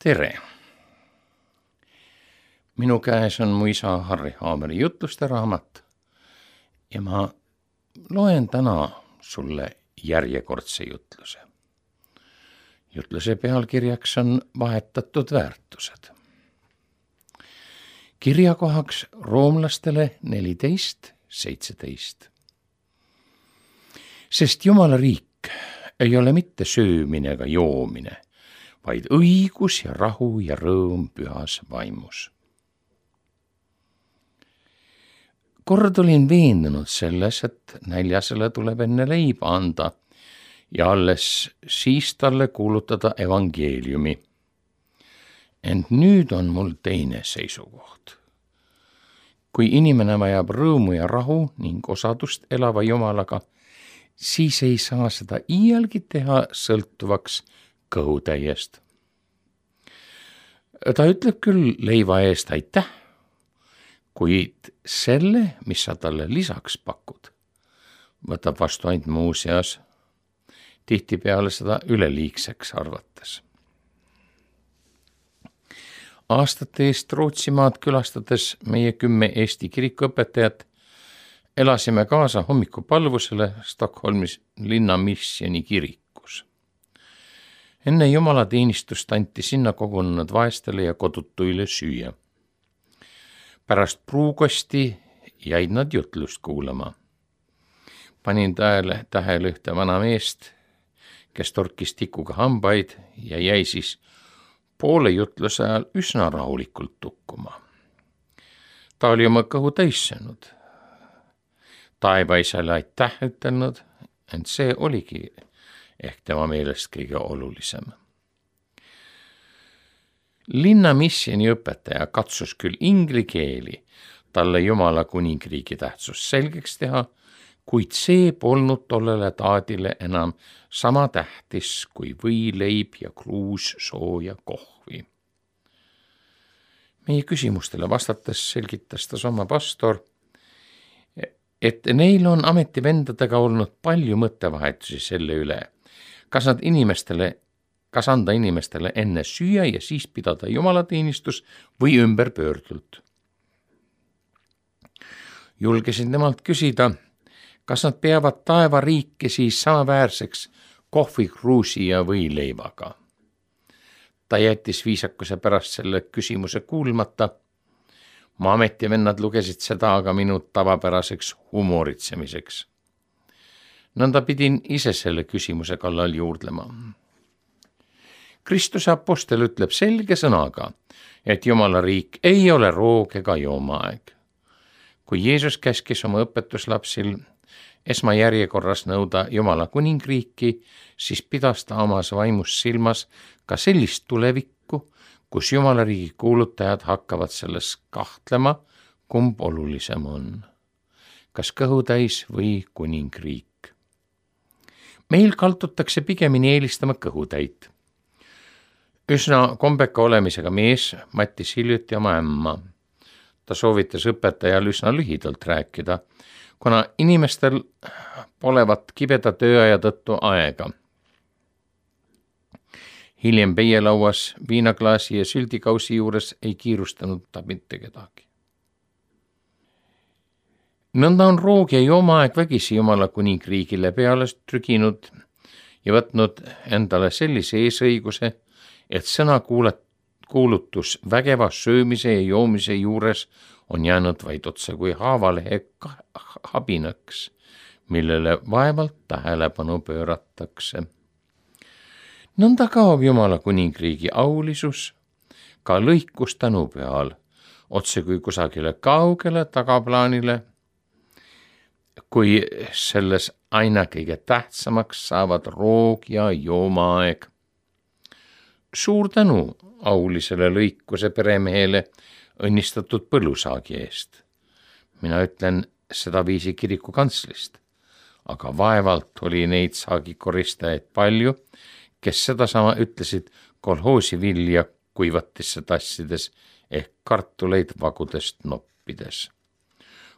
Tere! Minu käes on mu isa Harri Haameri jutluste raamat ja ma loen täna sulle järjekordse jutluse. Jutluse pealkirjaks on vahetatud väärtused. Kirjakohaks roomlastele 14:17. Sest Jumala riik ei ole mitte söömine ega joomine, vaid õigus ja rahu ja rõõm pühas vaimus. Kord olin veendunud selles, et näljasele tuleb enne leiba anda ja alles siis talle kuulutada evangeeliumi. Ent nüüd on mul teine seisukoht. Kui inimene vajab rõõmu ja rahu ning osadust elava Jumalaga, siis ei saa seda iialgi teha sõltuvaks kõhutäiest. Ta ütleb küll leiva eest aitäh, kuid selle, mis sa talle lisaks pakud, võtab vastu ainult muuseas, tihtipeale seda üleliigseks arvates. Aastate eest Rootsimaad külastades meie 10 Eesti kirikuõpetajat elasime kaasa hommikupalvusele Stockholmis linnamissioni kirikus. Enne jumalateenistust anti sinna kogunenud vaestele ja kodutuile süüa. Pärast pruukosti jäid nad jutlust kuulama. Panin tähele ühte vana meest, kes torkis tikuga hambaid ja jäi siis poole jutluse ajal üsna rahulikult tukkuma. Ta oli oma kõhu täis söönud. Taevaisale aitäh ütelnud, ent see oligi ehk tema meelest kõige olulisem. Linnamissioni õpetaja katsus küll ingli keeli talle Jumala kuningriigi tähtsust selgeks teha, kuid see polnud tollele taadile enam sama tähtis kui võileib ja kruus sooja kohvi. Meie küsimustele vastates selgitas ta oma pastor, et neil on ametivendadega olnud palju mõttevahetusi selle üle, kas anda inimestele enne süüa ja siis pidada jumalateenistus või ümberpöördult. Julgesin temalt küsida, kas nad peavad taevariiki siis samaväärseks kohvikruusi ja võileivaga. Ta jättis viisakuse pärast selle küsimuse kuulmata. Mu ametivennad lugesid seda aga minu tavapäraseks humoritsemiseks. Nõnda pidin ise selle küsimuse kallal juurdlema. Kristuse apostel ütleb selge sõnaga, et Jumala riik ei ole roog ega joomaaeg. Kui Jeesus käskis oma õpetuslapsil esmajärjekorras nõuda Jumala kuningriiki, siis pidas ta omas vaimus silmas ka sellist tulevikku, kus Jumala riigi kuulutajad hakkavad selles kahtlema, kumb olulisem on, kas kõhutäis või kuningriik. Meil kaldutakse pigemini eelistama kõhutäit. Üsna kombeka olemisega mees mattis hiljuti oma ämma. Ta soovitas õpetajal üsna lühidalt rääkida, kuna inimestel polevat kibeda tööaja tõttu aega. Hiljem peielauas, viinaklaasi ja sültikausi juures ei kiirustanud ta mitte kedagi. Nõnda on roog ja joomaaeg vägisi Jumala kuningriigile peale trüginud ja võtnud endale sellise eesõiguse, et sõna kuulutus vägeva söömise ja joomise juures on jäänud vaid otse kui haavalehe habinaks, millele vaevalt tähelepanu pööratakse. Nõnda kaob Jumala kuningriigi aulisus ka lõikus tänupühal, otse kui kusagile kaugele tagaplaanile, kui selles aina kõige tähtsamaks saavad roog ja joomaaeg. Suur tänu aulisele lõikuse peremehele õnnistatud põllusaagi eest. Mina ütlen seda viisi kiriku kantslist, aga vaevalt oli neid saagikoristajaid palju, kes sedasama ütlesid kolhoosi vilja kuivatisse tassides ehk kartuleid vagudest noppides.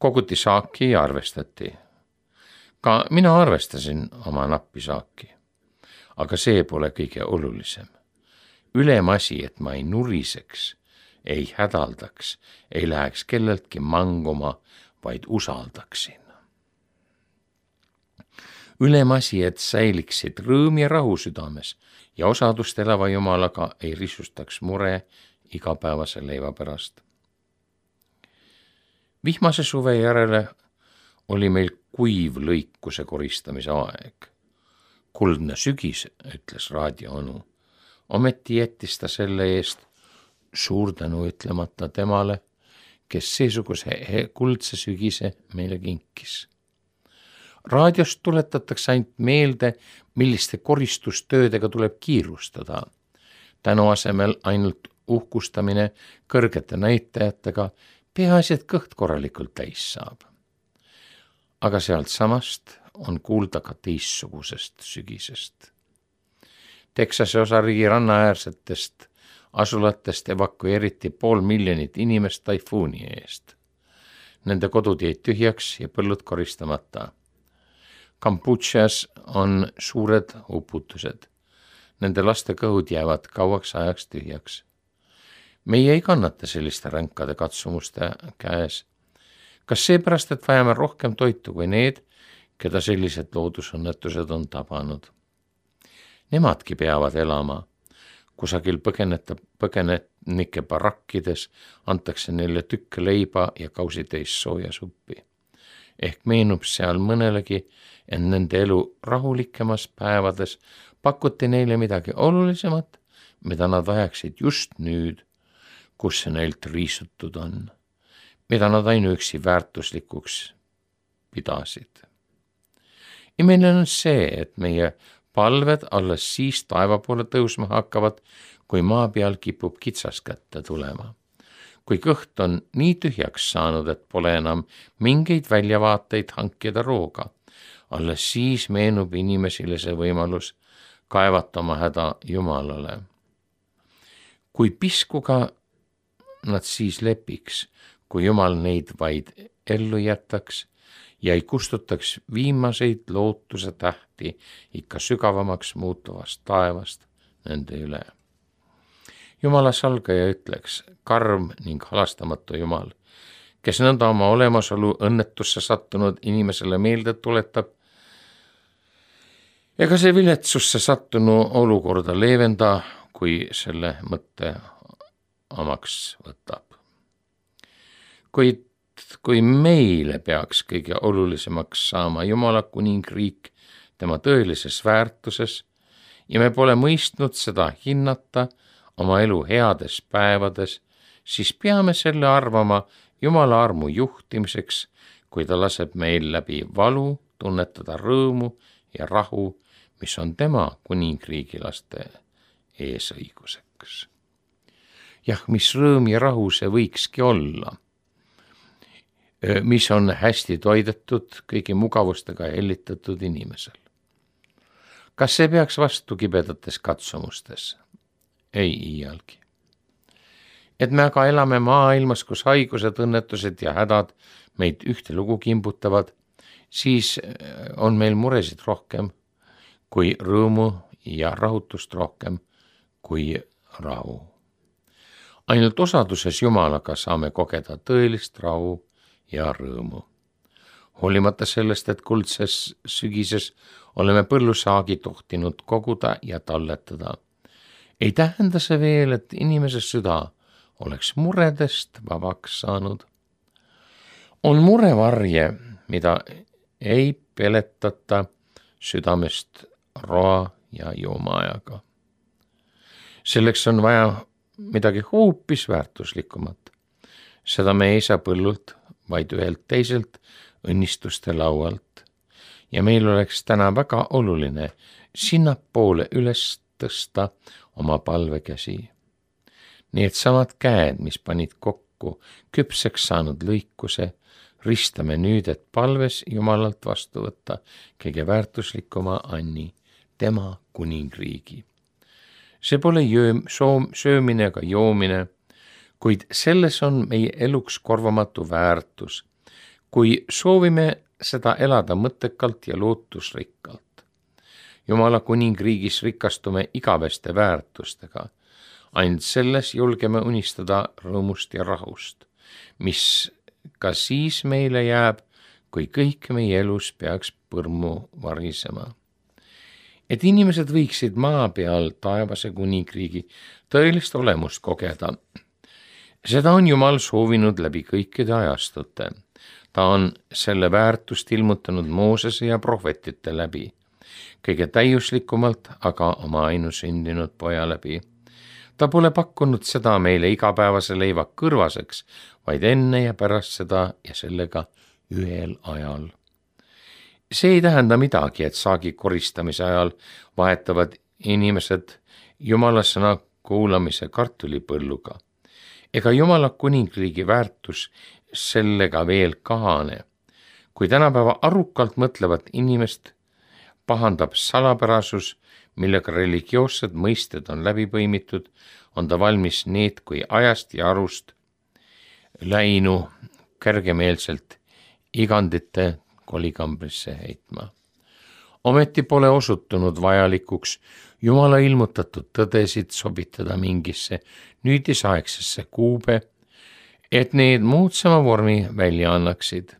Koguti saaki ja arvestati. Ka mina arvestasin oma nappi saaki, aga see pole kõige olulisem. ülemasi, et ma ei nuriseks, ei hädaldaks, ei läheks kelleltki manguma, vaid usaldaksin. Ülemasi, et säiliksid rõõm ja rahu südames ja osadust elava Jumalaga ei risustaks mure igapäevase leiva pärast. Vihmase suve järele oli meil kuiv lõikuse koristamise aeg. Kuldne sügis, ütles raadioonu. Ometi jättis ta selle eest suur tänu ütlemata temale, kes seesuguse kuldse sügise meile kinkis. Raadiost tuletatakse ainult meelde, milliste koristustöödega tuleb kiirustada. Tänu asemel ainult uhkustamine kõrgete näitajatega, peaasi, et kõht korralikult täis saab. Aga sealt samast on kuulda ka teissugusest sügisest. Texase osariigi rannaäärsetest asulatest evakueeriti 500 000 inimest taifuuni eest. Nende kodud jäid tühjaks ja põllud koristamata. Kambodžas on suured uputused. Nende laste kõhud jäävad kauaks ajaks tühjaks. Meie ei kannata selliste ränkade katsumuste käes. Kas seepärast, et vajame rohkem toitu kui need, keda sellised loodusõnnetused on tabanud? Nemadki peavad elama. Kusagil põgenike barakkides antakse neile tükke leiba ja kausitäis sooja suppi. Ehk meenub seal mõnelegi, et nende elu rahulikemas päevades pakuti neile midagi olulisemat, mida nad vajaksid just nüüd, kus see neilt riisutud on, mida nad ainuüksi väärtuslikuks pidasid. Imeline on see, et meie palved alles siis taeva poole tõusma hakkavad, kui maa peal kipub kitsas kätte tulema. Kui kõht on nii tühjaks saanud, et pole enam mingeid väljavaateid hankida rooga, alles siis meenub inimesile see võimalus kaevata oma häda Jumalale. Kui piskuga nad siis lepiks, kui Jumal neid vaid ellu jätaks ja ei kustutaks viimaseid lootuse tähti ikka sügavamaks muutuvast taevast nende üle. Jumala salgaja ütleks, karm ning halastamatu Jumal, kes nõnda oma olemasolu õnnetusse sattunud inimesele meelde tuletab, ega see viletsusse sattunu olukorda leevenda, kui selle mõtte omaks võtab. Kuid kui meile peaks kõige olulisemaks saama Jumala kuningriik tema tõelises väärtuses ja me pole mõistnud seda hinnata oma elu heades päevades, siis peame selle arvama Jumala armu juhtimiseks, kui ta laseb meil läbi valu tunnetada rõõmu ja rahu, mis on tema kuningriigi laste eesõiguseks. Jah, mis rõõm ja rahu see võikski olla, mis on hästi toidetud, kõigi mugavustega hellitatud inimesel. Kas see peaks vastu kibedates katsumustes? Ei iialgi. Et me aga elame maailmas, kus haigused, õnnetused ja hädad meid ühtelugu kimbutavad, siis on meil muresid rohkem kui rõõmu ja rahutust rohkem kui rahu. Ainult osaduses Jumalaga saame kogeda tõelist rahu ja rõõmu. Hoolimata sellest, et kuldses sügises oleme põllusaagi tohtinud koguda ja talletada, ei tähenda see veel, et inimese süda oleks muredest vabaks saanud. On murevarje, mida ei peletata südamest roa ja joomaajaga. Selleks on vaja midagi hoopis väärtuslikumat. Seda me ei saa põllult, vaid ühelt teiselt õnnistuste laualt. Ja meil oleks täna väga oluline sinnapoole üles tõsta oma palvekäsi. Need samad käed, mis panid kokku küpseks saanud lõikuse, ristame nüüd, et palves Jumalalt vastu võtta kõige väärtuslikuma anni, tema kuningriigi. See pole söömine ega joomine, kuid selles on meie eluks korvamatu väärtus, kui soovime seda elada mõttekalt ja lootusrikkalt. Jumala kuningriigis rikastume igaveste väärtustega, ainult selles julgeme unistada rõõmust ja rahust, mis ka siis meile jääb, kui kõik meie elus peaks põrmu varisema. Et inimesed võiksid maa peal taevase kuningriigi tõelist olemust kogeda. Seda on Jumal soovinud läbi kõikide ajastute. Ta on selle väärtust ilmutanud Moosese ja prohvetite läbi, kõige täiuslikumalt aga oma ainusündinud poja läbi. Ta pole pakkunud seda meile igapäevase leiva kõrvaseks, vaid enne ja pärast seda ja sellega ühel ajal. See ei tähenda midagi, et saagi koristamise ajal vahetavad inimesed Jumala sõna kuulamise kartulipõlluga. Ega Jumala kuningriigi väärtus sellega veel kahane. Kui tänapäeva arukalt mõtlevat inimest pahandab salapärasus, millega religioossed mõisted on läbi põimitud, on ta valmis need kui ajast ja arust läinu kergemeelselt igandite kolikambrisse heitma. Ometi pole osutunud vajalikuks Jumala ilmutatud tõdesid sobitada mingisse nüüdisaegsesse kuube, et need moodsama vormi välja annaksid.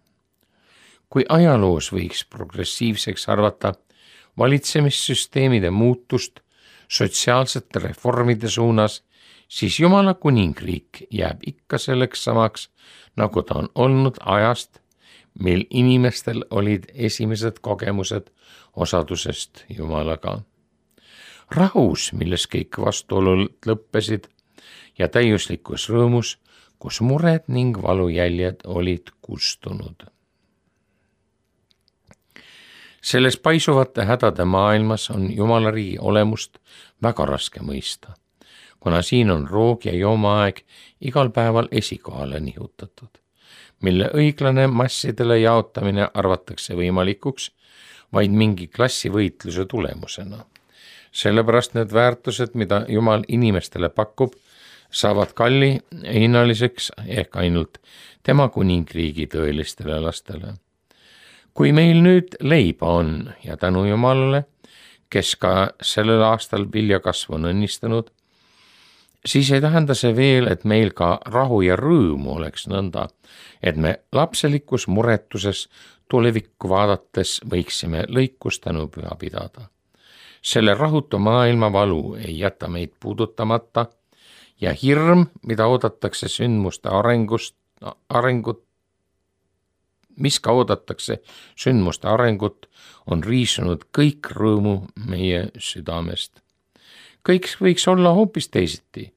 Kui ajaloos võiks progressiivseks arvata valitsemissüsteemide muutust sotsiaalsete reformide suunas, siis Jumala kuningriik jääb ikka selleks samaks, nagu ta on olnud ajast, mil inimestel olid esimesed kogemused osadusest Jumalaga. Rahus, milles kõik vastuolud lõppesid, ja täiuslikus rõõmus, kus mured ning valujäljed olid kustunud. Selles paisuvate hädade maailmas on Jumala riigi olemust väga raske mõista, kuna siin on roog ja joomaaeg igal päeval esikohale nihutatud, mille õiglane massidele jaotamine arvatakse võimalikuks vaid mingi klassivõitluse tulemusena. Sellepärast need väärtused, mida Jumal inimestele pakub, saavad kalli hinnaliseks ehk ainult tema kuningriigi tõelistele lastele. Kui meil nüüd leiba on ja tänu Jumalale, kes ka sellel aastal viljakasvu on õnnistanud, siis ei tähenda see veel, et meil ka rahu ja rõõmu oleks nõnda, et me lapselikus muretuses tulevikku vaadates võiksime lõikust tänupüha pidada. Selle rahutu maailma valu ei jäta meid puudutamata ja hirm, mida oodatakse sündmuste arengut, on riisunud kõik rõõmu meie südamest. Kõik võiks olla hoopis teisiti,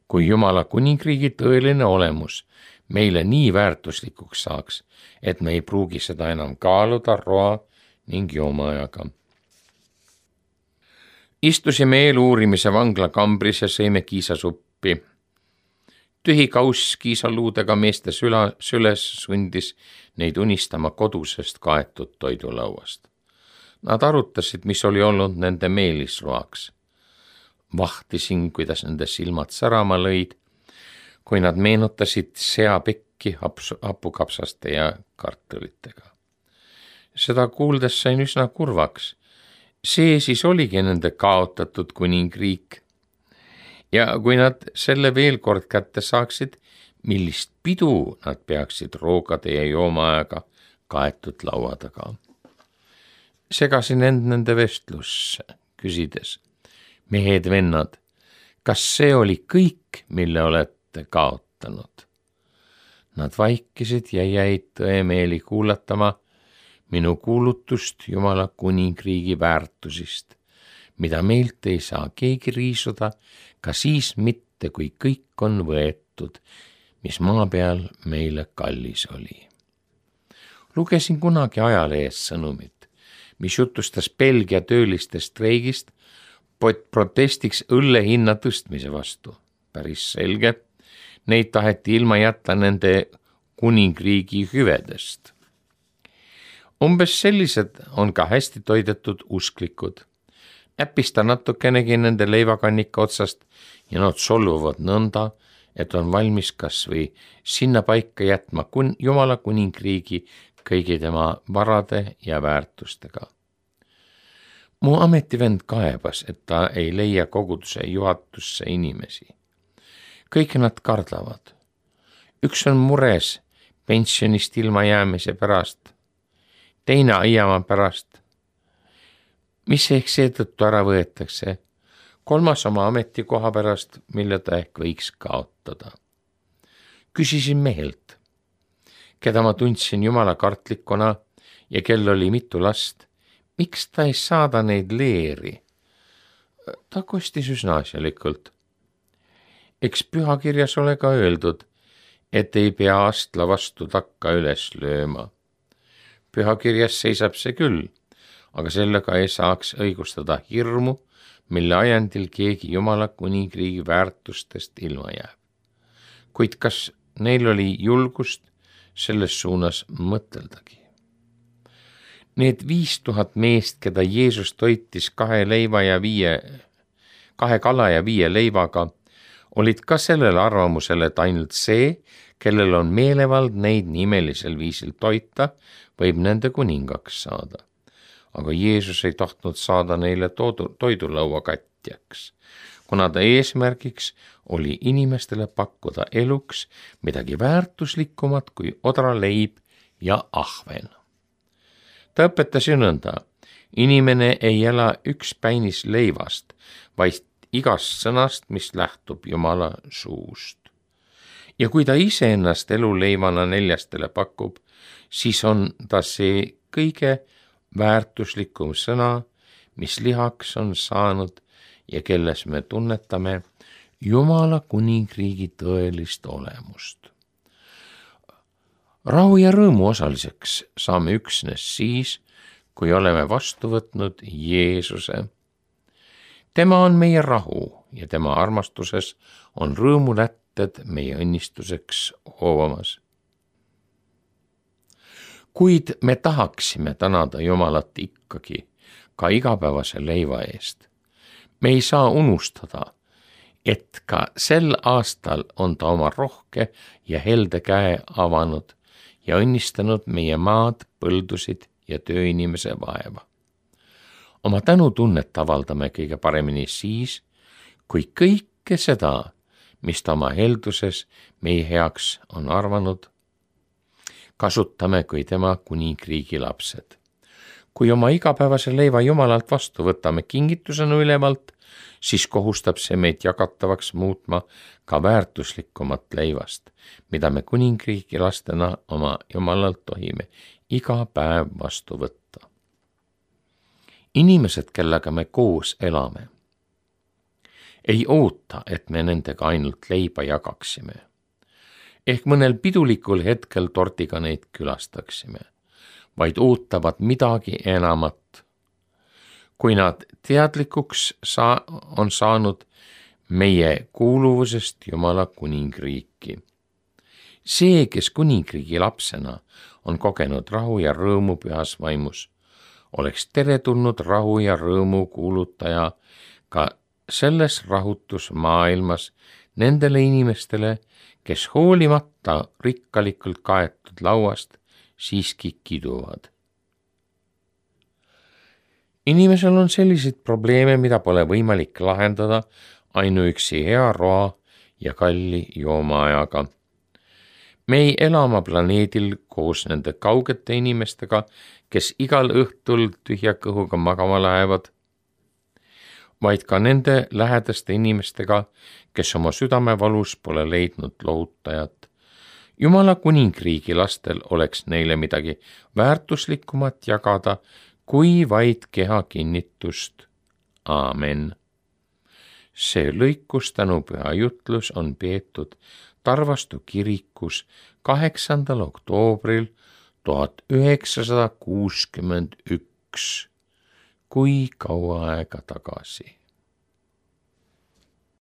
kui Jumala kuningriigi tõeline olemus meile nii väärtuslikuks saaks, et me ei pruugi seda enam kaaluda roa ning joomaajaga. Istusime eeluurimise vangla kambris ja sõime kiisasuppi. Tühi kauss kiisaluudega meeste süles sundis neid unistama kodusest kaetud toidulauast. Nad arutasid, mis oli olnud nende meelisroaks. Vahtisin, kuidas nende silmad särama lõid, kui nad meenutasid seapekki hapukapsaste ja kartulitega. Seda kuuldes sain üsna kurvaks. See siis oligi nende kaotatud kuningriik. Ja kui nad selle veel kord kätte saaksid, millist pidu nad peaksid roogade ja joomaajaga kaetud laua taga. Segasin end nende vestlusse, küsides, mehed-vennad, kas see oli kõik, mille olete kaotanud? Nad vaikisid ja jäid tõemeeli kuulatama minu kuulutust Jumala kuningriigi väärtusist, mida meilt ei saa keegi riisuda, ka siis mitte, kui kõik on võetud, mis maa peal meile kallis oli. Lugesin kunagi ajalehes sõnumit, mis jutustas Belgia tööliste streigist protestiks õlle hinna tõstmise vastu. Päris selge, neid taheti ilma jätta nende kuningriigi hüvedest. Umbes sellised on ka hästi toidetud usklikud. Äpista natukenegi nende leivakannika otsast ja nad solvuvad nõnda, et on valmis kas või sinna paika jätma Jumala kuningriigi kõigi tema varade ja väärtustega. Mu ametivend kaebas, et ta ei leia koguduse juhatusse inimesi. Kõik nad kardavad. Üks on mures pensionist ilma jäämise pärast, teine aiama pärast, mis ehk seetõttu ära võetakse, kolmas oma ametikoha pärast, mille ta ehk võiks kaotada. Küsisin mehelt, keda ma tundsin jumala kartlikuna ja kel oli mitu last, miks ta ei saada neid leeri? Ta kostis üsna asjalikult. Eks pühakirjas ole ka öeldud, et ei pea astla vastu takka üles lööma. Pühakirjas seisab see küll, aga sellega ei saaks õigustada hirmu, mille ajendil keegi jumala kuningriigi väärtustest ilma jääb. Kuid kas neil oli julgust selles suunas mõteldagi? Need 5000 meest, keda Jeesus toitis 2 kala ja 5 leivaga, olid ka sellel arvamusel, et ainult see, kellel on meelevald neid nimelisel viisil toita, võib nende kuningaks saada. Aga Jeesus ei tahtnud saada neile toidulaua katjaks, kuna ta eesmärgiks oli inimestele pakkuda eluks midagi väärtuslikumat kui odraleib ja ahven. Ta õpetas ju nõnda, inimene ei ela üks päinis leivast, vaid igast sõnast, mis lähtub Jumala suust. Ja kui ta ise ennast eluleivana neljastele pakub, siis on ta see kõige väärtuslikum sõna, mis lihaks on saanud ja kelles me tunnetame Jumala kuningriigi tõelist olemust. Rahu ja rõõmu osaliseks saame üksnes siis, kui oleme vastu võtnud Jeesuse. Tema on meie rahu ja tema armastuses on rõõmulätted meie õnnistuseks hoovamas. Kuid me tahaksime tänada Jumalat ikkagi ka igapäevase leiva eest. Me ei saa unustada, et ka sel aastal on ta oma rohke ja helde käe avanud ja õnnistanud meie maad, põldusid ja tööinimese vaeva. Oma tänutunnet avaldame kõige paremini siis, kui kõike seda, mis ta oma helduses meie heaks on arvanud, kasutame kui tema kuningriigi lapsed. Kui oma igapäevase leiva Jumalalt vastu võtame kingitusena ülevalt, siis kohustab see meid jagatavaks muutma ka väärtuslikumat leivast, mida me kuningriigi lastena oma Jumalalt tohime iga päev vastu võtta. Inimesed, kellega me koos elame, ei oota, et me nendega ainult leiba jagaksime. Ehk mõnel pidulikul hetkel tortiga neid külastaksime, vaid ootavad midagi enamat. Kui nad teadlikuks on saanud meie kuuluvusest Jumala kuningriiki. See, kes kuningriigi lapsena on kogenud rahu ja rõõmu pühas vaimus, oleks teretulnud rahu ja rõõmu kuulutaja ka selles rahutusmaailmas nendele inimestele, kes hoolimata rikkalikult kaetud lauast siiski kiduvad. Inimesel on selliseid probleeme, mida pole võimalik lahendada ainuüksi hea roa ja kalli joomaajaga. Me ei ela oma planeedil koos nende kaugete inimestega, kes igal õhtul tühja kõhuga magama lähevad, vaid ka nende lähedaste inimestega, kes oma südamevalus pole leidnud lohutajat. Jumala kuningriigi lastel oleks neile midagi väärtuslikumat jagada, kui vaid keha kinnitust. Aamen. See lõikus tänupüha jutlus on peetud Tarvastu kirikus 8. oktoobril 1961. Kui kaua aega tagasi.